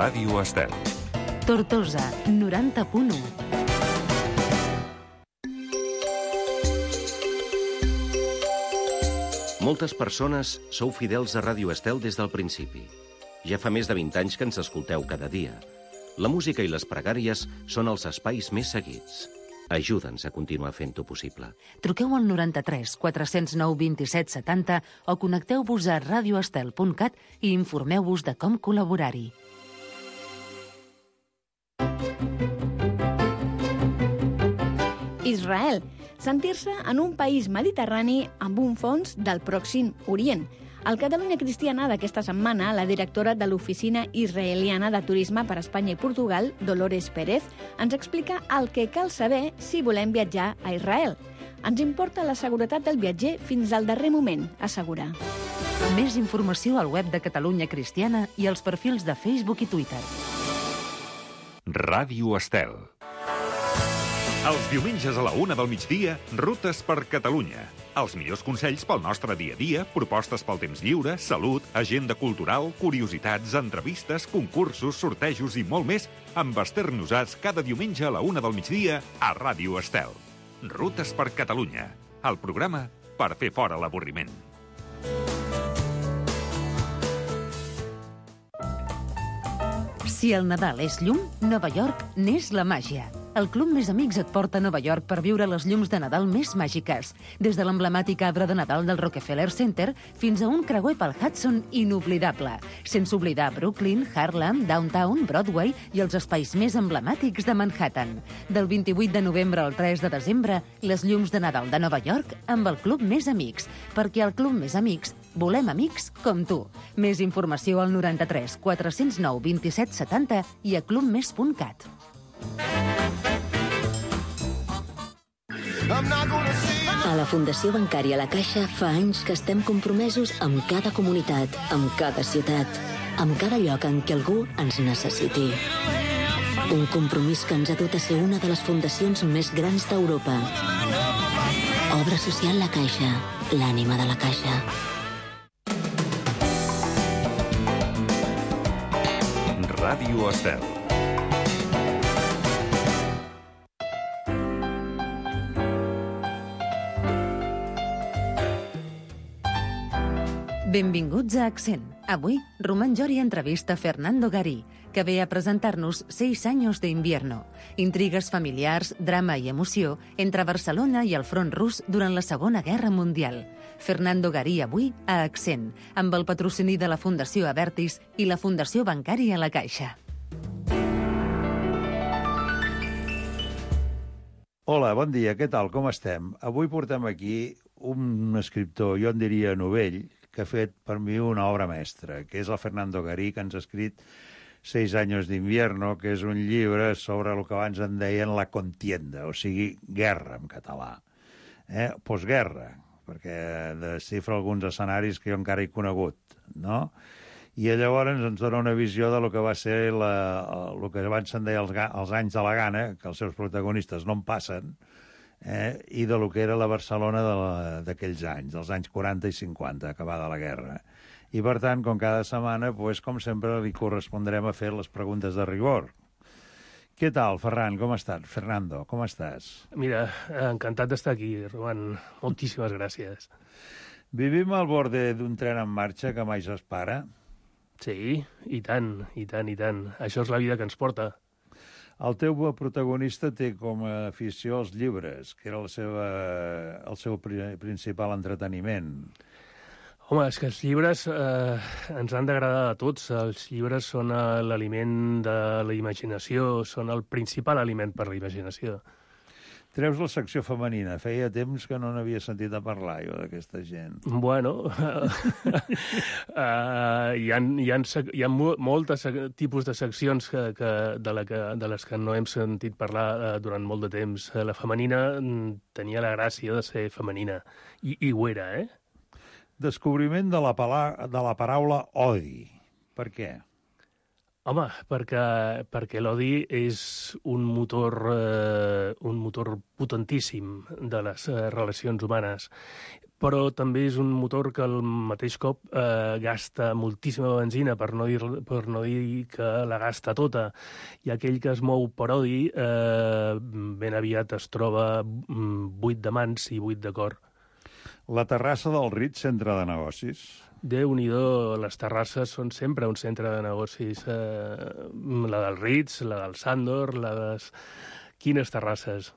Ràdio Estel. Tortosa, 90.1. Moltes persones sou fidels a Ràdio Estel des del principi. Ja fa més de 20 anys que ens escolteu cada dia. La música i les pregàries són els espais més seguits. Ajuda'ns a continuar fent-ho possible. Truqueu al 93 409 27 70 o connecteu-vos a radioestel.cat i informeu-vos de com col·laborar-hi. Israel. Sentir-se en un país mediterrani amb un fons del Pròxim Orient. Al Catalunya Cristiana d'aquesta setmana, la directora de l'Oficina Israeliana de Turisme per Espanya i Portugal, Dolores Pérez, ens explica el que cal saber si volem viatjar a Israel. Ens importa la seguretat del viatger fins al darrer moment, assegura. Més informació al web de Catalunya Cristiana i als perfils de Facebook i Twitter. Ràdio Estel. Els diumenges a la 1 del migdia, Rutes per Catalunya. Els millors consells pel nostre dia a dia, propostes pel temps lliure, salut, agenda cultural, curiositats, entrevistes, concursos, sortejos i molt més amb Esther Nosats cada diumenge a la 1 del migdia a Ràdio Estel. Rutes per Catalunya, el programa per fer fora l'avorriment. Si el Nadal és llum, Nova York n'és la màgia. El Club Més Amics et porta a Nova York per viure les llums de Nadal més màgiques. Des de l'emblemàtic arbre de Nadal del Rockefeller Center fins a un creuer pel Hudson inoblidable. Sense oblidar Brooklyn, Harlem, Downtown, Broadway i els espais més emblemàtics de Manhattan. Del 28 de novembre al 3 de desembre, les llums de Nadal de Nova York amb el Club Més Amics. Perquè al Club Més Amics volem amics com tu. Més informació al 93 409 27 70 i a clubmes.cat. A la Fundació Bancària La Caixa fa anys que estem compromesos amb cada comunitat, amb cada ciutat, amb cada lloc en què algú ens necessiti. Un compromís que ens ha dut a ser una de les fundacions més grans d'Europa. Obra social La Caixa, l'ànima de la Caixa. Ràdio Estel. Benvinguts a Accent. Avui, Román Jori entrevista Fernando Garí, que ve a presentar-nos 6 años de invierno. Intrigues familiars, drama i emoció entre Barcelona i el front rus durant la Segona Guerra Mundial. Fernando Garí avui a Accent, amb el patrocini de la Fundació Abertis i la Fundació Bancària La Caixa. Hola, bon dia, què tal, com estem? Avui portem aquí un escriptor, jo en diria novell, que ha fet per mi una obra mestra, que és el Fernando Garí, que ens ha escrit 6 años de invierno, que és un llibre sobre el que abans en deien la contienda, o sigui, guerra en català. Postguerra, perquè desxifra alguns escenaris que jo encara he conegut, no? I llavors ens dona una visió de lo que va ser el que abans se'n deia els anys de la gana, que els seus protagonistes no en passen, i de lo que era la Barcelona d'aquells anys, dels anys 40 i 50, acabada la guerra. I, per tant, com cada setmana, com sempre, li correspondrem a fer les preguntes de rigor. Què tal, Ferran? Com estàs? Fernando, com estàs? Mira, encantat d'estar aquí, Roman. Moltíssimes gràcies. Vivim al borde d'un tren en marxa que mai s'espera? Sí, i tant, i tant, i tant. Això és la vida que ens porta. El teu protagonista té com a afició els llibres, que era el seu principal entreteniment. Home, és que els llibres ens han d'agradar a tots. Els llibres són l'aliment de la imaginació, són el principal aliment per la imaginació. Treus la secció femenina. Feia temps que no n'havia sentit a parlar, jo, d'aquesta gent. Bueno, hi ha moltes tipus de seccions de les que no hem sentit parlar durant molt de temps. La femenina tenia la gràcia de ser femenina, i ho era, eh? Descobriment de la paraula odi. Per què? Home, perquè l'odi és un motor potentíssim de les relacions humanes, però també és un motor que al mateix cop gasta moltíssima benzina, per no dir que la gasta tota. I aquell que es mou per odi ben aviat es troba buit de mans i buit de cor. La terrassa del Ritz, centre de negocis. Déu-n'hi-do, les terrasses són sempre un centre de negocis. La del Ritz, la del Sandor, Quines terrasses?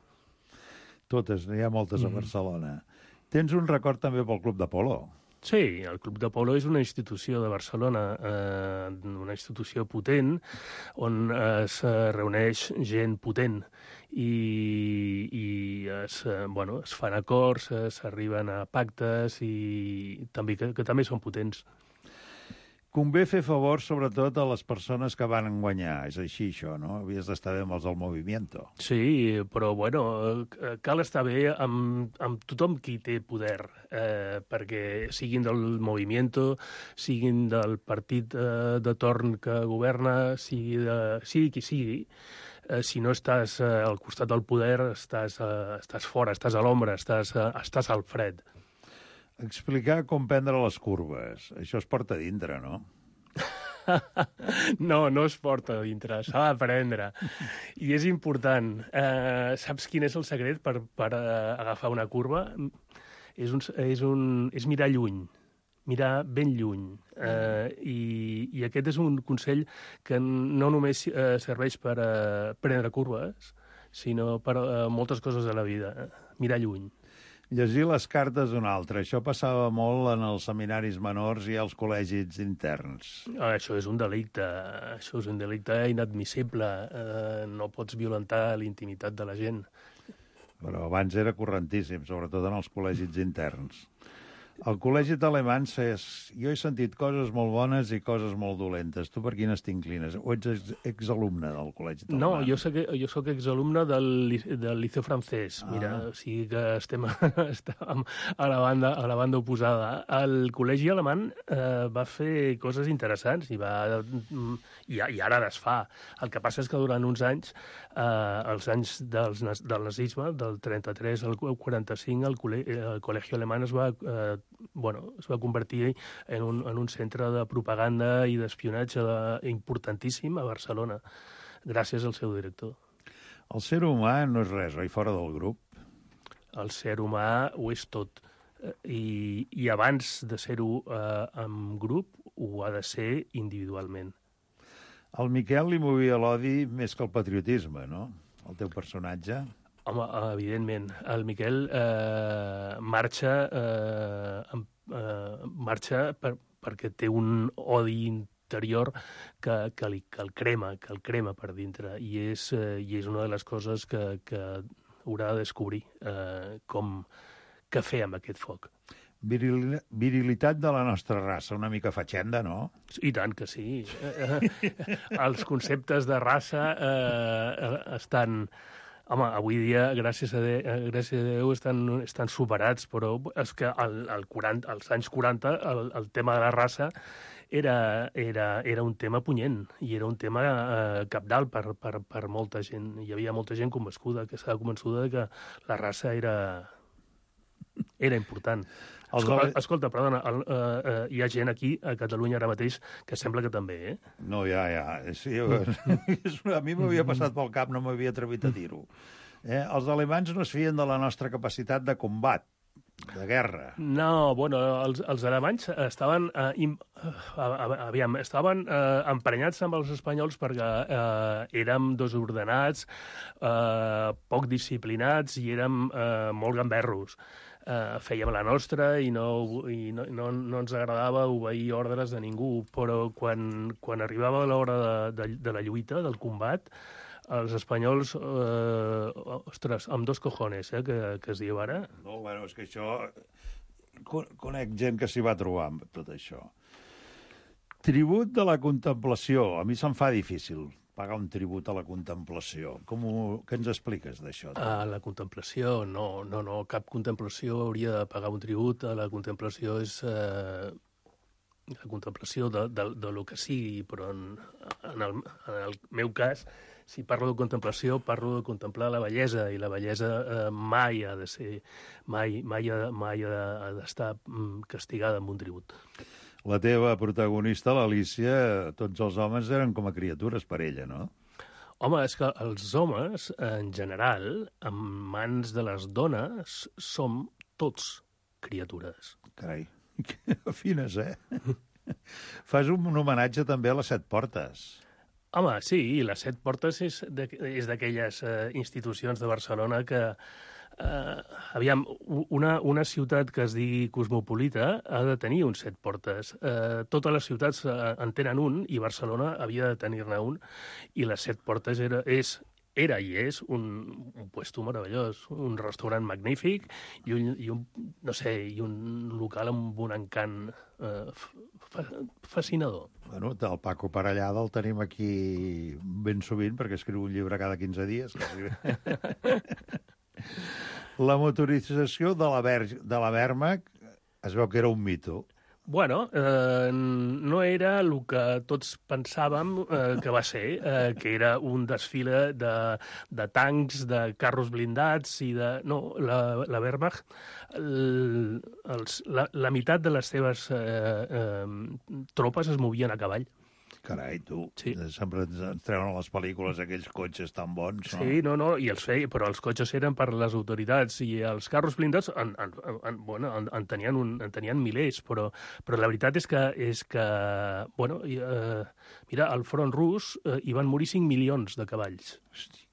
Totes, n'hi ha moltes a Barcelona. Tens un record també pel Club de Polo. Sí, el Club de Polo és una institució de Barcelona, una institució potent, on es reuneix gent potent i es fan acords, s'arriben a pactes i també que també són potents. Convé fer favor, sobretot, a les persones que van guanyar. És així, això, no? Havies d'estar bé amb els del movimiento. Sí, però, cal estar bé amb tothom qui té poder, perquè siguin del movimiento, siguin del partit de torn que governa, sigui qui sigui. Si no estàs al costat del poder, estàs fora, estàs a l'ombra, estàs al fred. Explicar com prendre les curves. Això es porta a dintre, no? No es porta a dintre, s'ha d'aprendre. I és important. Saps quin és el secret per agafar una curva? És mirar lluny, mirar ben lluny. I aquest és un consell que no només serveix per prendre curves, sinó per moltes coses de la vida. Mirar lluny. Llegir les cartes d'un altre. Això passava molt en els seminaris menors i als col·legis interns. Això és un delicte. Això és un delicte inadmissible. No pots violentar la intimitat de la gent. Però abans era correntíssim, sobretot en els col·legis interns. Al col·legi d'Alemans jo he sentit coses molt bones i coses molt dolentes. Tu per quines t'inclines? O ets exalumne del col·legi d'Alemans? No, jo soc exalumne del Liceu francès. Mira, o sigui que estem a la banda oposada. El col·legi alemany va fer coses interessants i ara les fa. El que passa és que durant uns anys, els anys del nazisme, del 33 al 45, el col·legi alemany es va convertir en un centre de propaganda i d'espionatge importantíssim a Barcelona, gràcies al seu director. El ser humà no és res, oi, fora del grup? El ser humà ho és tot. I abans de ser-ho en grup, ho ha de ser individualment. Al Miquel li movia l'odi més que el patriotisme, no? El teu personatge... Home, evidentment. El Miquel marxa perquè té un odi interior que el crema per dintre. I és una de les coses que haurà de descobrir què fer amb aquest foc. Virilitat de la nostra raça, una mica fatxenda, no? I tant que sí. Els conceptes de raça estan... Home, avui dia, gràcies a Déu, estan superats, però és que als anys 40 el tema de la raça era un tema punyent i era un tema cabdal per molta gent. Hi havia molta gent convençuda, que estava convençuda que la raça era important. Escolta, perdona, hi ha gent aquí, a Catalunya ara mateix, que sembla que també, eh? No, ja. Sí, a mi m'havia passat pel cap, no m'havia atrevit a dir-ho. Els alemanys no es fien de la nostra capacitat de combat, de guerra. No, els alemanys estaven emprenyats amb els espanyols perquè érem desordenats, poc disciplinats i érem molt gamberros. Fèiem la nostra i no ens agradava obeir ordres de ningú, però quan arribava l'hora de la lluita, del combat, els espanyols, amb dos cojones, que es diu ara. No, és que això... Conec gent que s'hi va trobar amb tot això. Tribut de la contemplació. A mi se'm fa difícil pagar un tribut a la contemplació. Què ens expliques d'això? A la contemplació, no. Cap contemplació hauria de pagar un tribut. La contemplació la contemplació de lo que sigui, però en el meu cas, si parlo de contemplació, parlo de contemplar la bellesa, i la bellesa mai ha de ser, mai ha d'estar castigada amb un tribut. La teva protagonista, l'Alícia, tots els homes eren com a criatures per ella, no? Home, és que els homes, en general, en mans de les dones, som tots criatures. Carai, que fines, Fas un homenatge també a les Set Portes. Home, sí, i les Set Portes és d'aquelles institucions de Barcelona que, aviam, una ciutat que es digui cosmopolita ha de tenir uns 7 portes. Totes les ciutats en tenen un, i Barcelona havia de tenir-ne un, i les 7 portes era i és un puesto meravellós, un restaurant magnífic i un local amb un encant fascinador. Bueno, el Paco Parellada el tenim aquí ben sovint perquè escriu un llibre cada 15 dies. La motorització de la Wehrmacht es veu que era un mito. Bueno, no era el que tots pensàvem que va ser, que era un desfile de tancs, de carros blindats i de... No, la Wehrmacht, la meitat de les seves tropes es movien a cavall. Carai, tu, sí. Sempre ens treuen a les pel·lícules aquells cotxes tan bons, no? Sí, no, i els feia, però els cotxes eren per les autoritats, i els carros blindats en tenien milers, però la veritat és que bueno, mira, al front rus hi van morir 5 milions de cavalls. Hosti.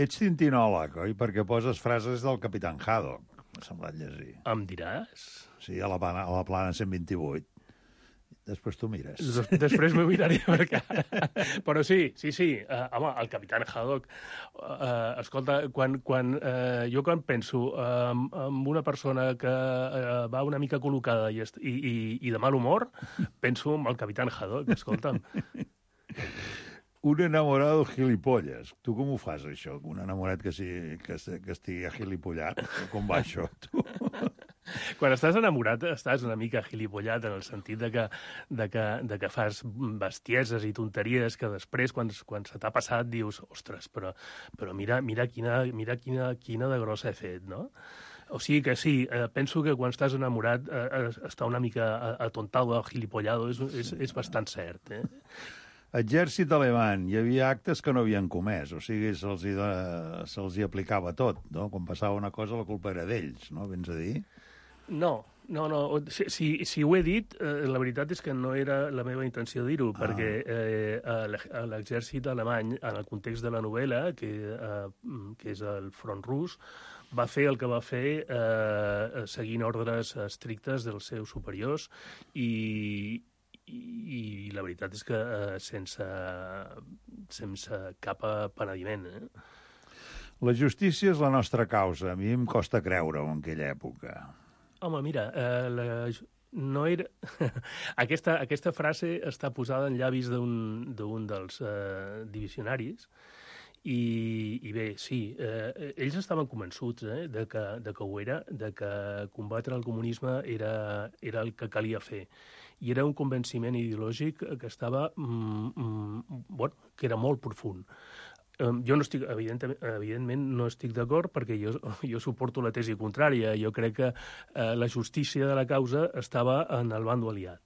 Ets tintinòleg, oi? Perquè poses frases del Capitán Haddock, m'ha semblat llegir. Em diràs? Sí, a la plana 128. Després tu mires. Després m'ho miraré, perquè... Però sí. Home, el Capitán Haddock... Escolta, quan penso en una persona que va una mica col·locada i de mal humor, penso en el Capitán Haddock, escolta'm. Un enamorado gilipolles. Tu com ho fas, això? Un enamorat que estigui agilipollat? Com va això, tu? Quan estàs enamorat, estàs una mica gilipollat en el sentit de que fas bestieses i tonteries que després, quan se t'ha passat, dius, ostres, però mira quina de grossa he fet, no? O sigui que sí, penso que quan estàs enamorat està una mica atontado, gilipollado, és bastant cert, Exèrcit alemany, hi havia actes que no havien comès, o sigui, se'ls hi aplicava tot, no? Quan passava una cosa, la culpa era d'ells, no? Vens a dir? No. Si ho he dit, la veritat és que no era la meva intenció dir-ho, perquè l'exèrcit alemany, en el context de la novel·la, que és el front rus, va fer el que va fer seguint ordres estrictes dels seus superiors i la veritat és que sense cap penediment. La justícia és la nostra causa. A mi em costa creure-ho en aquella època. Home, mira, no era... Aquesta frase està posada en llavis d'un dels divisionaris i bé, sí, ells estaven convençuts de que ho era, de que combatre el comunisme era el que calia fer. I era un convenciment ideològic que estava, que era molt profund. Jo no estic, evidentment no estic d'acord, perquè jo suporto la tesi contrària. Jo crec que la justícia de la causa estava en el bando aliat.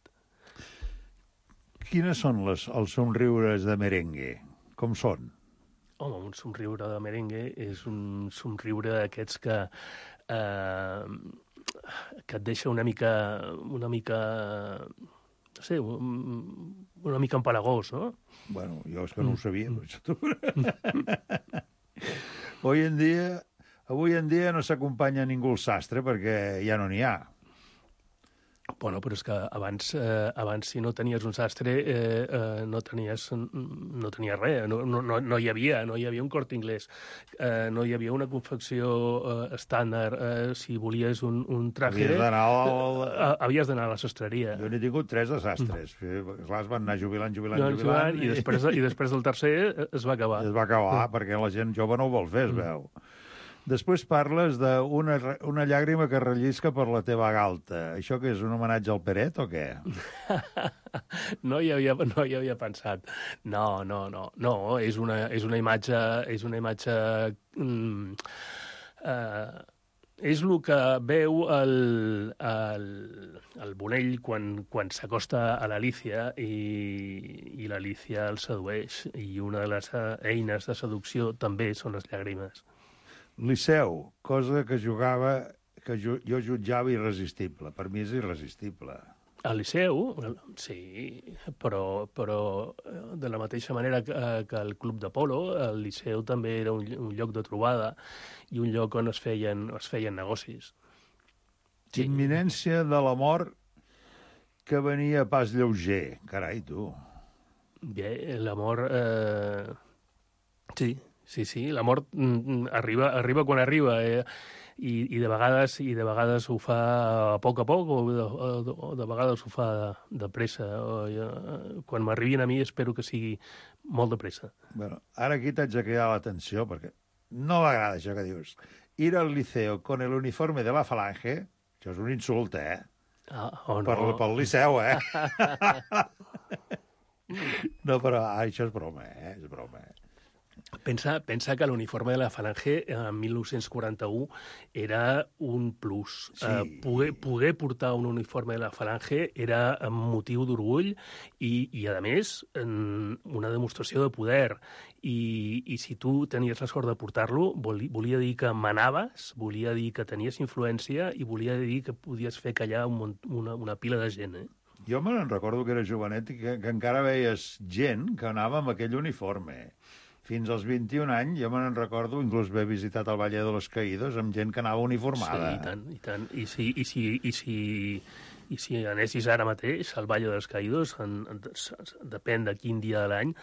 Quines són els somriures de merengue? Com són? Home, un somriure de merengue és un somriure d'aquests que et deixa una mica no sé, una mica empalagós, no? Bueno, jo és que no ho sabia. Avui en dia no s'acompanya ningú al sastre perquè ja no n'hi ha. Bueno, però és que abans si no tenies un sastre, no tenies res. No hi havia un Corte Inglés, no hi havia una confecció estàndard. Si volies un traje... Havies d'anar a la sastreria. Jo n'he tingut 3 de sastres. Clar, es van anar jubilant. I després del tercer es va acabar. Es va acabar, perquè la gent jove no ho vol fer, es veu. Després parles d'una llàgrima que rellisca per la teva galta. Això què és, un homenatge al Peret o què? No hi havia pensat. No, és una imatge... És el que veu el Bonell quan s'acosta a l'Alícia i l'Alícia el sedueix. I una de les eines de seducció també són les llàgrimes. Liceu, cosa que jugava, que jo jutjava irresistible. Per mi és irresistible. Al Liceu, sí, però de la mateixa manera que el Club de Polo, el Liceu també era un lloc de trobada i un lloc on es feien negocis. Sí. Imminència de la mort que venia pas lleuger. Carai, tu. Bé, la mort... Sí, la mort arriba quan arriba, i de vegades ho fa a poc o de vegades ho fa de pressa. Quan m'arribin a mi espero que sigui molt de pressa. Bueno, ara aquí t'haig de cridar l'atenció, perquè no m'agrada això que dius. Ir al liceo con el uniforme de la Falange, això és un insult, o no. Pel Liceu, No, però això és broma, és broma, Pensa que l'uniforme de la Falange en 1941 era un plus. Sí. Poder portar un uniforme de la Falange era motiu d'orgull i, a més, una demostració de poder. I si tu tenies la sort de portar-lo, volia dir que manaves, volia dir que tenies influència i volia dir que podies fer callar una pila de gent, Jo me'n recordo que era jovenet i que encara veies gent que anava amb aquell uniforme. Fins als 21 anys, jo me'n recordo, inclús haver visitat el Valle de los Caídos amb gent que anava uniformada. Sí, i tant. I si anessis ara mateix al Valle dels Caídos, depèn de quin dia de l'any,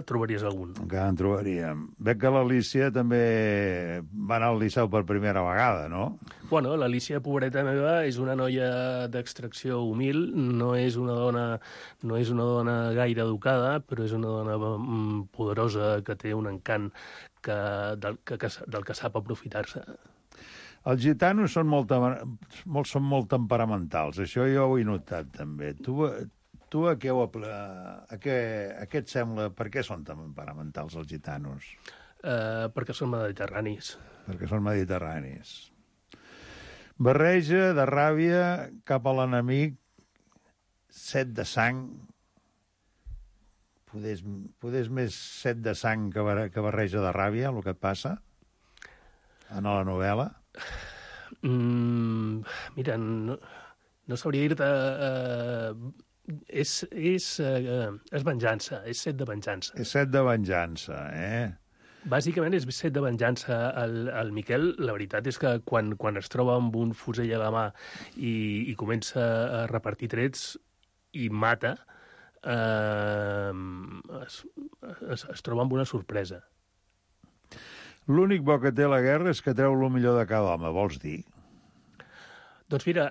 trobaries algun. Encara en trobaríem. Veig que l'Alícia també va anar al Liceu per primera vegada, no? Bueno, l'Alícia, pobreta meva, és una noia d'extracció humil, no és una dona gaire educada, però és una dona poderosa que té un encant del que sap aprofitar-se. Els gitanos són molt temperamentals, això jo ho he notat també. Tu a què et sembla, per què són temperamentals els gitanos? Perquè són mediterranis. Perquè són mediterranis. Barreja de ràbia cap a l'enemic, set de sang, poder més set de sang que barreja de ràbia, el que et passa en la novel·la? Mira, no sabria dir-te... És venjança, és set de venjança. És set de venjança, Bàsicament és set de venjança. El Miquel, la veritat és que quan es troba amb un fusell a la mà i comença a repartir trets i mata, es troba amb una sorpresa. L'únic bo que té la guerra és que treu el millor de cada home, vols dir? Doncs mira,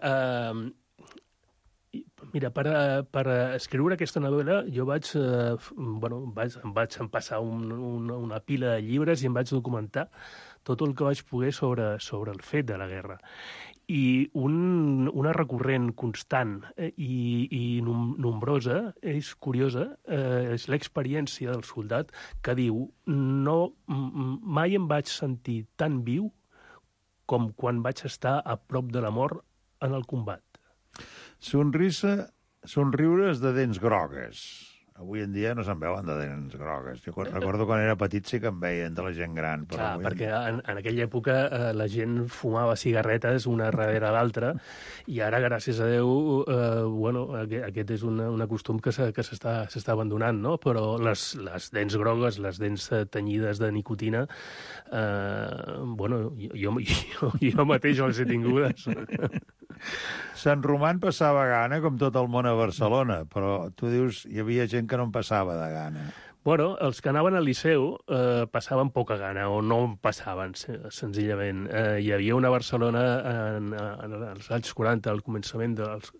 per escriure aquesta novel·la jo em vaig empassar una pila de llibres i em vaig documentar tot el que vaig poder sobre el fet de la guerra. I una recurrent constant i nombrosa, és curiosa, és l'experiència del soldat que diu mai em vaig sentir tan viu com quan vaig estar a prop de la mort en el combat. Somriures de dents grogues. Avui en dia no se'n veuen de dents grogues. Jo recordo quan era petit sí que em veien de la gent gran. Clar, perquè en aquella època la gent fumava cigarretes una darrere l'altra i ara, gràcies a Déu, aquest és un costum que s'està abandonant, no? Però les dents grogues, les dents tenyides de nicotina, jo mateix les he tingudes. Sant Roman passava gana, com tot el món a Barcelona, però tu dius hi havia gent que no en passava de gana. Bueno, els que anaven al Liceu passaven poca gana, o no en passaven, senzillament. Hi havia una Barcelona en els anys 40, al començament dels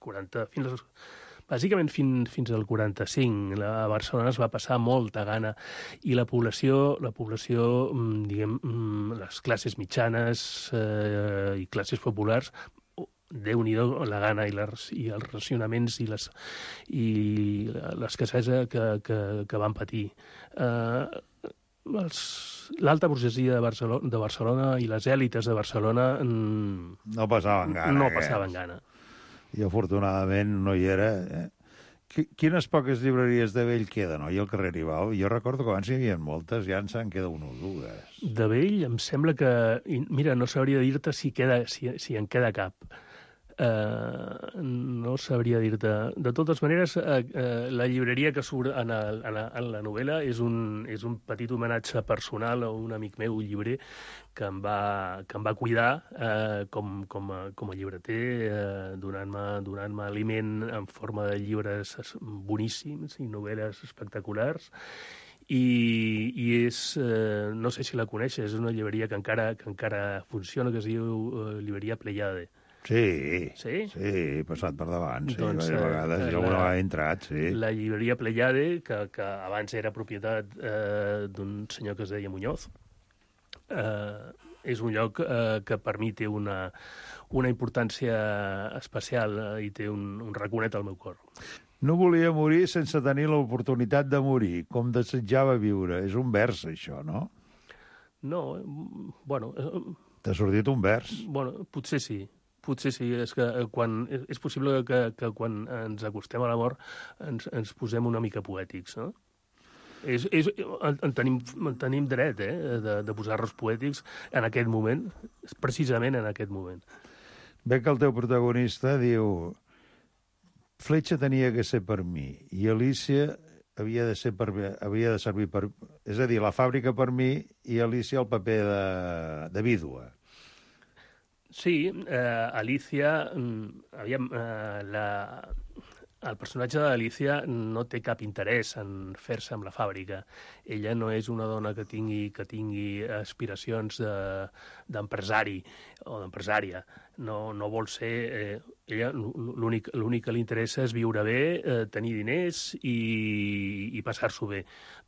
40, fins als bàsicament fins al 45. A Barcelona es va passar molta gana i la població, diguem, les classes mitjanes i classes populars, Déu-n'hi-do la gana i els racionaments i l'escassesa que van patir. L'alta burgesia de Barcelona i les èlites de Barcelona no passaven gana. I afortunadament no hi era. Quines poques llibreries de vell queden, oi, al carrer Ribal? Jo recordo que abans hi havia moltes, ja ens en queda una o dues. De vell em sembla que... Mira, no sabria dir-te si en queda cap. No sabria dir-te. De totes maneres, la llibreria que surt en la novel·la és un petit homenatge personal a un amic meu, llibrer, que em va cuidar com a llibreter, donant-me aliment en forma de llibres boníssims i novel·les espectaculars. I és, no sé si la coneixes, és una llibreria que encara funciona, que es diu llibreria Pleiade. Sí, he passat per davant, sí, doncs, vegades, jo alguna vegada he entrat, sí. La llibreria Pleiade, que abans era propietat d'un senyor que es deia Muñoz, és un lloc que per mi té una importància especial i té un raconet al meu cor. No volia morir sense tenir l'oportunitat de morir, com desitjava viure. És un vers, això, no? No, bueno... T'ha sortit un vers? Bueno, potser sí. És que és possible que quan ens acostem a la mort ens posem una mica poètics, no? En tenim dret, de posar-nos poètics en aquest moment, precisament en aquest moment. Ve que el teu protagonista diu: Fletxa tenia que ser per mi, i Alícia havia de servir per... És a dir, la fàbrica per mi i Alícia el paper de vídua. Sí, Alicia, el personatge d'Alicia no té cap interès en fer-se amb la fàbrica. Ella no és una dona que tingui aspiracions d'empresari o d'empresària. No vol ser... Ella l'únic que li interessa és viure bé, tenir diners i passar-s'ho bé,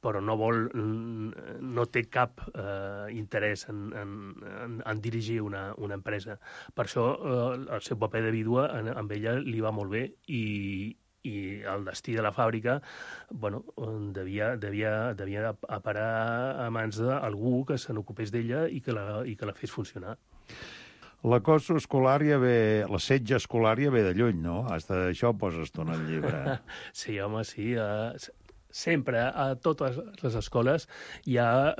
però no té cap interès en dirigir una empresa. Per això el seu paper de vídua amb ella li va molt bé i el destí de la fàbrica, bueno, devia parar a mans d'algú que se n'ocupés d'ella i que la fes funcionar. L'acoso escolar l'assetge escolar ja ve de lluny, no? Hasta això poses tu en el llibre. Sí, home, sí. Sempre, a totes les escoles, hi ha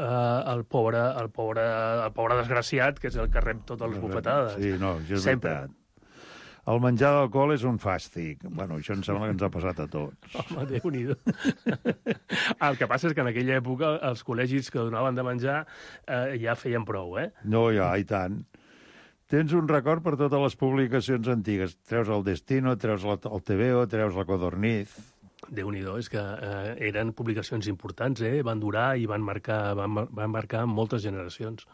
el pobre desgraciat, que és el que rep totes les bufetades. Sí, no, això és veritat. El menjar d'alcohol és un fàstic. Bueno, això em sembla que ens ha passat a tots. Home, Déu-n'hi-do. El que passa és que en aquella època els col·legis que donaven de menjar ja feien prou, eh? No, ja, i tant. Tens un record per totes les publicacions antigues. Treus el Destino, treus el TVO, treus la Codorniz. Déu-n'hi-do, és que eren publicacions importants, van durar i van marcar moltes generacions.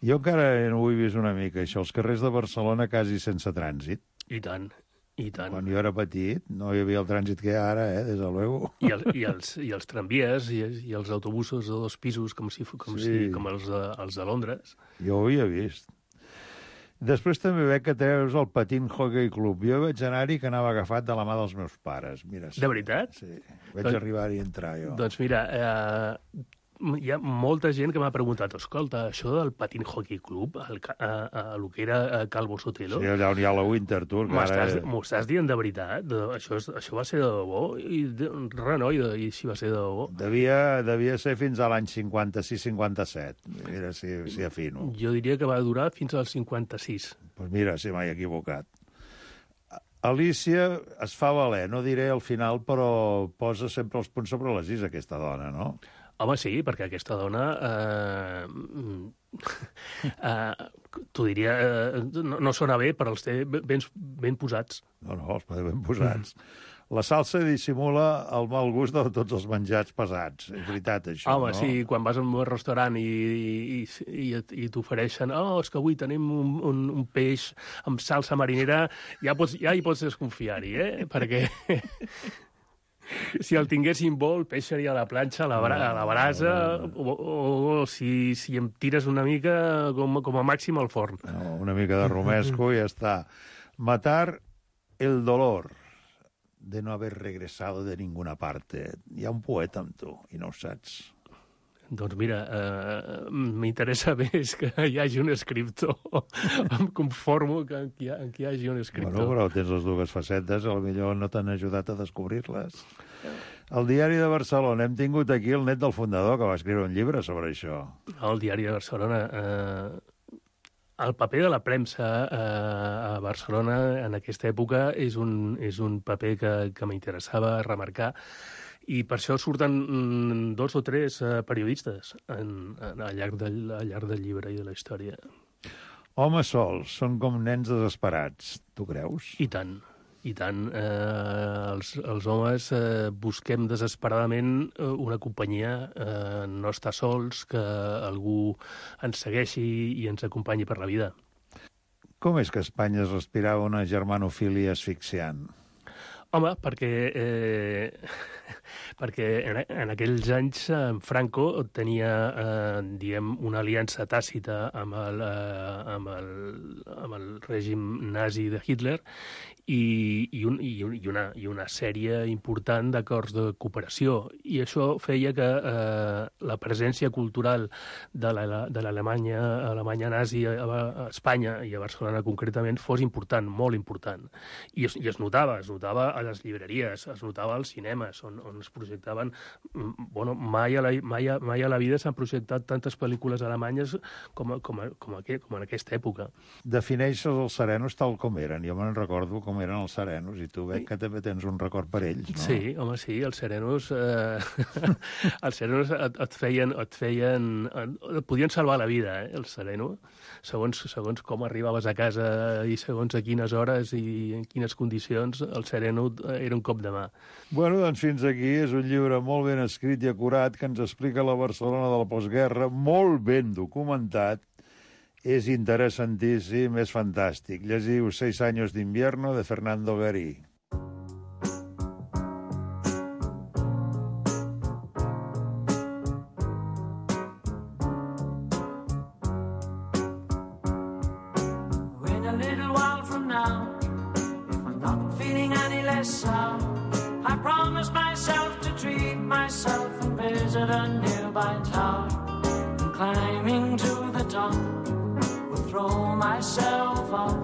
Jo encara no ho he vist una mica, això. Els carrers de Barcelona quasi sense trànsit. I tant. Quan jo era petit no hi havia el trànsit que hi ha ara, des de luego. I els tramvies i els autobusos de 2 pisos com els de Londres. Jo ho havia vist. Després també veig que treus el Patín Hockey Club. Jo vaig anar-hi que anava agafat de la mà dels meus pares. Mira, de veritat? Sí, vaig arribar-hi a entrar jo. Doncs mira, hi ha molta gent que m'ha preguntat, escolta, això del Patín Hockey Club, el que era Calvo Sotelo... Sí, allà on hi ha la Winter Tour. M'ho estàs dient de veritat? Això va ser de debò? I si va ser de debò? Devia ser fins a l'any 56-57. Mira si afino. Jo diria que va durar fins al 56. Doncs mira, si m'he equivocat. Alícia es fa valer, no diré al final, però posa sempre els punts sobre les is, aquesta dona, no? Home, sí, perquè aquesta dona, t'ho diria, no sona bé, però els té ben posats. No, els té ben posats. La salsa dissimula el mal gust de tots els menjats pesats. És veritat, això, home, no? Sí, quan vas a un restaurant i t'ofereixen és que avui tenim un peix amb salsa marinera, ja hi pots desconfiar-hi, perquè si el tinguéssim bo, el peix seria a la planxa, a la brasa, o si em tires una mica, com a màxim al forn. No, una mica de romesco i ja està. Matar el dolor de no haver regresado de ninguna parte. Hi ha un poeta amb tu, i no ho saps. Doncs mira, m'interessa més que hi hagi un escriptor. Em conformo que hi hagi un escriptor. Bueno, però tens les dues facetes, potser no t'han ajudat a descobrir-les. El Diari de Barcelona. Hem tingut aquí el net del fundador, que va escriure un llibre sobre això. El Diari de Barcelona... El paper de la premsa a Barcelona en aquesta època és un paper que m'interessava remarcar, i per això surten 2 o 3 periodistes al llarg del llibre i de la història. Homes sols són com nens desesperats. Tu creus? I tant. Els homes busquem desesperadament una companyia, no estar sols, que algú ens segueixi i ens acompanyi per la vida. Com és que a Espanya es respirava una germanofília asfixiant? Home, perquè en aquells anys Franco tenia, una aliança tàcita amb el règim nazi de Hitler i una sèrie important d'acords de cooperació. I això feia que la presència cultural de l'Alemanya nazi a Espanya i a Barcelona concretament fos important, molt important. I es notava a les llibreries, es notava als cinemes, on es projectaven... Mai a la vida s'han projectat tantes pel·lícules alemanyes com en aquesta època. Defineixes els serenos tal com eren. Jo me'n recordo com eren els serenos, i tu veig que també tens un record per ells, no? Sí, home, sí, els serenos... els serenos et feien... Et podien salvar la vida, els serenos, segons com arribaves a casa i segons a quines hores i en quines condicions, el sereno era un cop de mà. Bueno, doncs fins aquí. És un llibre molt ben escrit i acurat que ens explica la Barcelona de la postguerra, molt ben documentat. És interessantíssim, és fantàstic. Llegiu 6 años de invierno de Fernando Garí. In a little while from now, if I'm not feeling any less sound, I promise myself to treat myself and visit a nearby tower. And climbing to the top, will throw myself off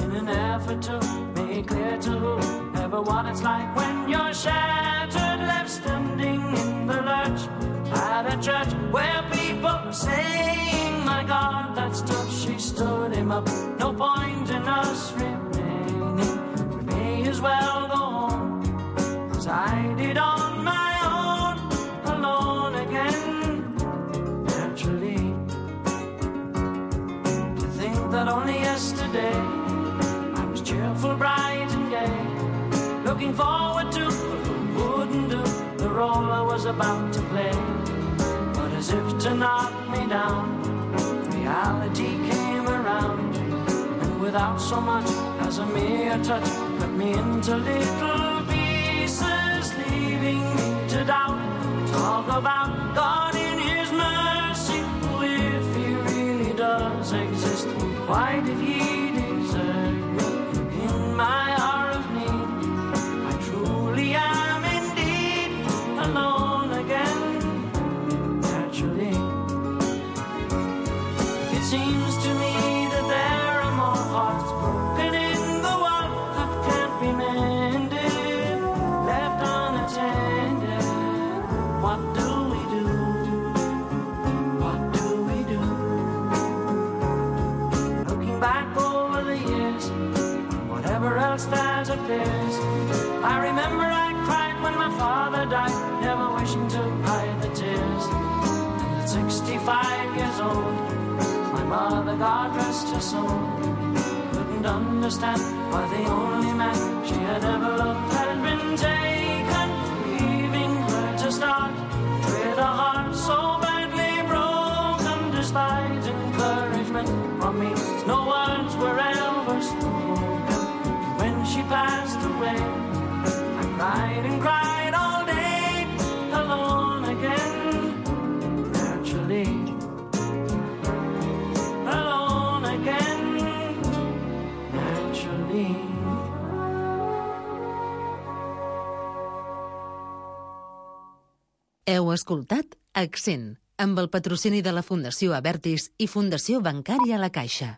in an effort to make clear to whoever what it's like when you're shattered, left standing in the lurch at a church where people are saying, my God, that's tough. She stood him up. No point in us remaining. We may as well go home, 'cause I did on my own, alone again, naturally. To think that only yesterday I was cheerful, bright and gay, looking forward to what wouldn't do the role I was about to play. But as if to knock me down, reality came around, and without so much as a mere touch, cut me into little pieces, leaving me to doubt. Talk about God in His mercy, if He really does exist, why did He desert me in my hour of need? I truly am indeed alone again, naturally. It seems to me that there are more hearts broken in the world that can't be mended, left unattended. What do we do? What do we do? Looking back over the years, whatever else that appears, I remember I cried when my father died, never wishing to hide the tears. And at 65 years old, my mother, God rest her soul, couldn't understand why the only man she had ever loved had been taken, leaving her to start with a heart so badly broken. Despite encouragement from me, no words were ever spoken. When she passed away, I cried and cried all day, alone again, naturally. Alone again, naturally. Heu escoltat Accent, amb el patrocini de la Fundació Abertis i Fundació Bancària La Caixa.